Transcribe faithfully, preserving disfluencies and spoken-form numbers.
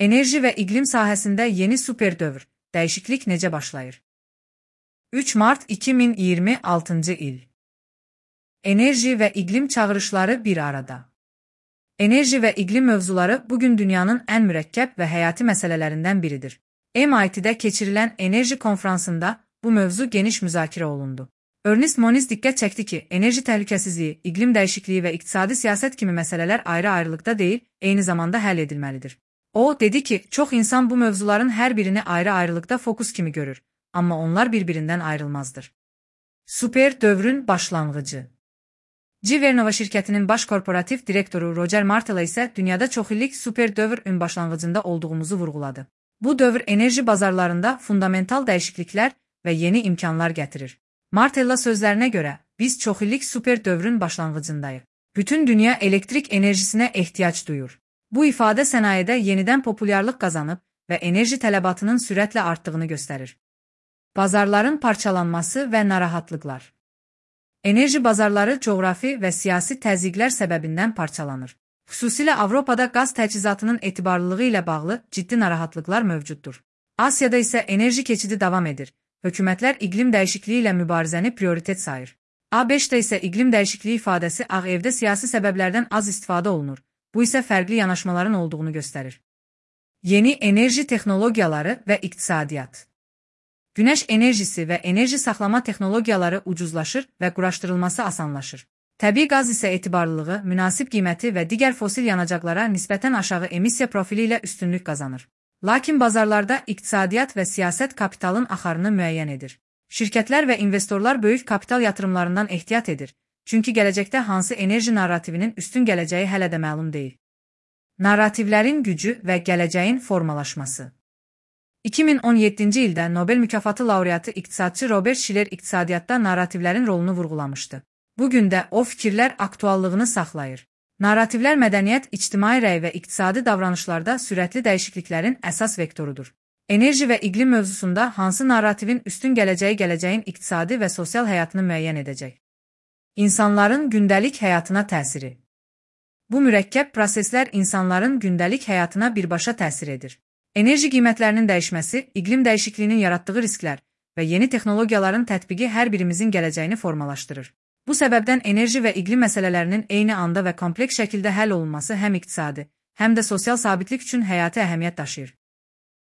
Enerji ve iklim sahəsində yeni super dövr, dəyişiklik necə başlayır? üç mart iki min iyirmi altıncı il. Enerji və iqlim çağırışları bir arada. Enerji və iqlim mövzuları bugün dünyanın ən mürəkkəb və həyati məsələlərindən biridir. M I T'də keçirilən enerji konfransında bu mövzu geniş müzakirə olundu. Ernest Moniz diqqət çəkdi ki, enerji təhlükəsizliyi, iqlim dəyişikliyi və iqtisadi siyasət kimi məsələlər ayrı-ayrılıqda deyil, eyni zamanda həll edilməlidir. O, dedi ki, çox insan bu mövzuların hər birini ayrı-ayrılıqda fokus kimi görür, amma onlar bir-birindən ayrılmazdır. Super dövrün başlanğıcı. G. Vernova şirkətinin baş korporativ direktoru Roger Martella isə dünyada çoxillik super dövrün başlanğıcında olduğumuzu vurğuladı. Bu dövr enerji bazarlarında fundamental dəyişikliklər və yeni imkanlar gətirir. Martella sözlərinə görə, biz çoxillik super dövrün başlanğıcındayıq. Bütün dünya elektrik enerjisinə ehtiyac duyur. Bu ifadə sənayedə yenidən populyarlıq qazanıb və enerji tələbatının sürətlə artdığını göstərir. Bazarların parçalanması və narahatlıqlar. Enerji bazarları coğrafi və siyasi təzyiqlər səbəbindən parçalanır. Xüsusilə Avropada qaz təchizatının etibarlılığı ilə bağlı ciddi narahatlıqlar mövcuddur. Asiyada isə enerji keçidi davam edir. Hökumətlər iqlim dəyişikliyi ilə mübarizəni prioritet sayır. A beşdə isə iqlim dəyişikliyi ifadəsi Ağ Evdə siyasi səbəblərdən az istifadə olunur. Bu isə fərqli yanaşmaların olduğunu göstərir. Yeni enerji texnologiyaları və iqtisadiyyat. Günəş enerjisi və enerji saxlama texnologiyaları ucuzlaşır və quraşdırılması asanlaşır. Təbii qaz isə etibarlılığı, münasib qiyməti və digər fosil yanacaqlara nisbətən aşağı emissiya profili ilə üstünlük qazanır. Lakin bazarlarda iqtisadiyyat və siyasət kapitalın axarını müəyyən edir. Şirkətlər və investorlar böyük kapital yatırımlarından ehtiyat edir. Çünki gələcəkdə hansı enerji narrativinin üstün gələcəyi hələ də məlum deyil. Narrativlərin gücü və gələcəyin formalaşması. iki min on yeddinci ildə Nobel mükafatı laureatı iqtisadçı Robert Shiller iqtisadiyyatda narrativlərin rolunu vurğulamışdı. Bugün də o fikirlər aktuallığını saxlayır. Narrativlər mədəniyyət, ictimai rəy və iqtisadi davranışlarda sürətli dəyişikliklərin əsas vektorudur. Enerji və iqlim mövzusunda hansı narrativin üstün gələcəyi gələcəyin iqtisadi və sosial həyatını müəyyən edəcək. İnsanların gündəlik həyatına təsiri. Bu mürəkkəb proseslər insanların gündəlik həyatına birbaşa təsir edir. Enerji qiymətlərinin dəyişməsi, iqlim dəyişikliyinin yaratdığı risklər və yeni texnologiyaların tətbiqi hər birimizin gələcəyini formalaşdırır. Bu səbəbdən enerji və iqlim məsələlərinin eyni anda və kompleks şəkildə həll olunması həm iqtisadi, həm də sosial sabitlik üçün həyati əhəmiyyət daşıyır.